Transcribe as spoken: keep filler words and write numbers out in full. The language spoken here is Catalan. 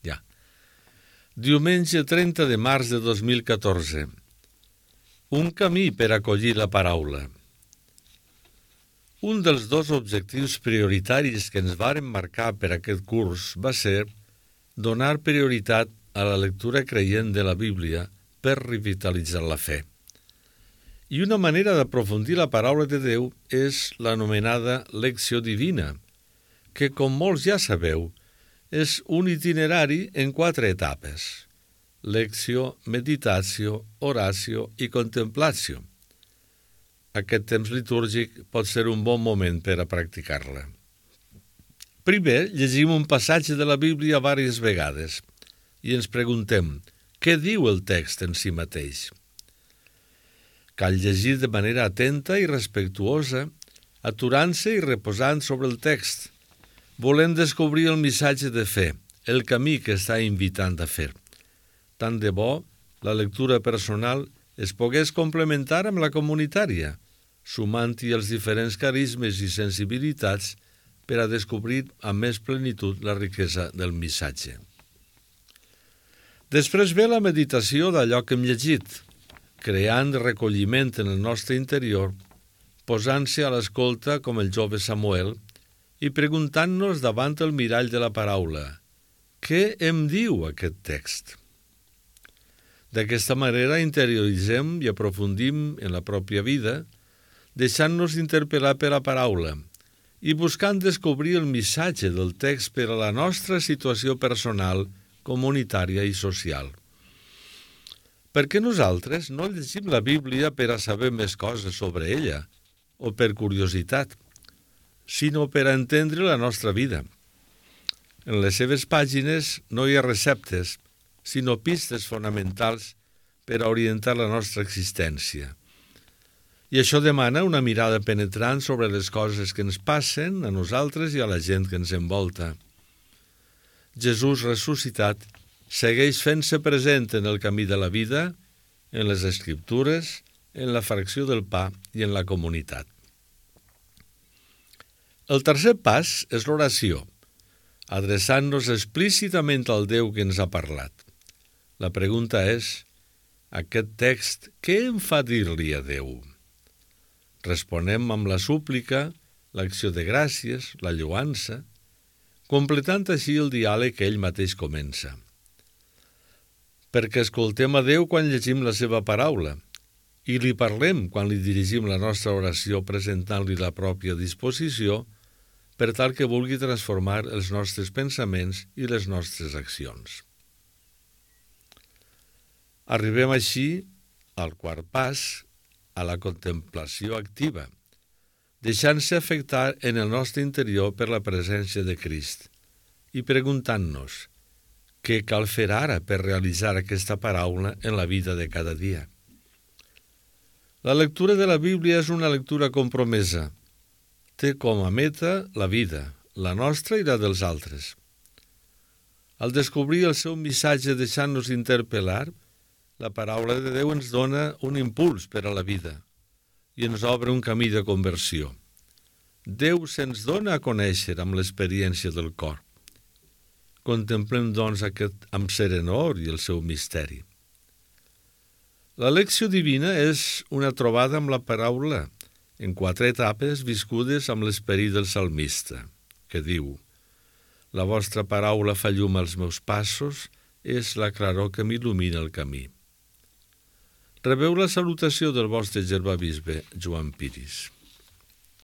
Ja. Diumenge trenta de març de dos mil catorze. Un camí per acollir la paraula. Un dels dos objectius prioritaris que ens varen marcar per aquest curs va ser donar prioritat a la lectura creient de la Bíblia per revitalitzar la fe. I una manera d'aprofundir la paraula de Déu és l'anomenada lecció divina, que, com molts ja sabeu, és un itinerari en quatre etapes: lecció, meditatio, oratio i contemplatio. Aquest temps litúrgic pot ser un bon moment per a practicar-la. Primer, llegim un passatge de la Bíblia diverses vegades i ens preguntem què diu el text en si mateix. Cal llegir de manera atenta i respectuosa, aturant-se i reposant sobre el text, volent descobrir el missatge de fe, el camí que està invitant a fer. Tant de bo la lectura personal es pogués complementar amb la comunitària, sumant-hi els diferents carismes i sensibilitats per a descobrir amb més plenitud la riquesa del missatge. Després ve la meditació d'allò que hem llegit, creant recolliment en el nostre interior, posant-se a l'escolta com el jove Samuel i preguntant-nos davant el mirall de la paraula: què em diu aquest text? D'aquesta manera interioritzem i aprofundim en la pròpia vida, deixant-nos interpel·lar per la paraula i buscant descobrir el missatge del text per a la nostra situació personal, comunitària i social. Perquè nosaltres no llegim la Bíblia per a saber més coses sobre ella o per curiositat, sinó per a entendre la nostra vida. En les seves pàgines no hi ha receptes, sinó pistes fonamentals per a orientar la nostra existència. I això demana una mirada penetrant sobre les coses que ens passen a nosaltres i a la gent que ens envolta. Jesús ressuscitat segueix fent-se present en el camí de la vida, en les Escriptures, en la fracció del pa i en la comunitat. El tercer pas és l'oració, adreçant-nos explícitament al Déu que ens ha parlat. La pregunta és: aquest text, què em fa dir-li a Déu? Responem amb la súplica, l'acció de gràcies, la lloança, completant així el diàleg que ell mateix comença. Perquè escoltem a Déu quan llegim la seva paraula i li parlem quan li dirigim la nostra oració presentant-li la pròpia disposició per tal que vulgui transformar els nostres pensaments i les nostres accions. Arribem així al quart pas, a la contemplació activa, deixant-se afectar en el nostre interior per la presència de Crist i preguntant-nos què cal fer ara per realitzar aquesta paraula en la vida de cada dia. La lectura de la Bíblia és una lectura compromesa. Té com a meta la vida, la nostra i la dels altres. Al descobrir el seu missatge deixant-nos interpel·lar, la paraula de Déu ens dona un impuls per a la vida i ens obre un camí de conversió. Déu se'ns dona a conèixer amb l'experiència del cor. Contemplem, doncs, aquest amb serenor i el seu misteri. La lecció divina és una trobada amb la paraula en quatre etapes viscudes amb l'esperit del salmista, que diu: la vostra paraula fa llum als meus passos, és la claror que m'il·lumina el camí. Rebeu la salutació del vostre germà bisbe Joan Piris.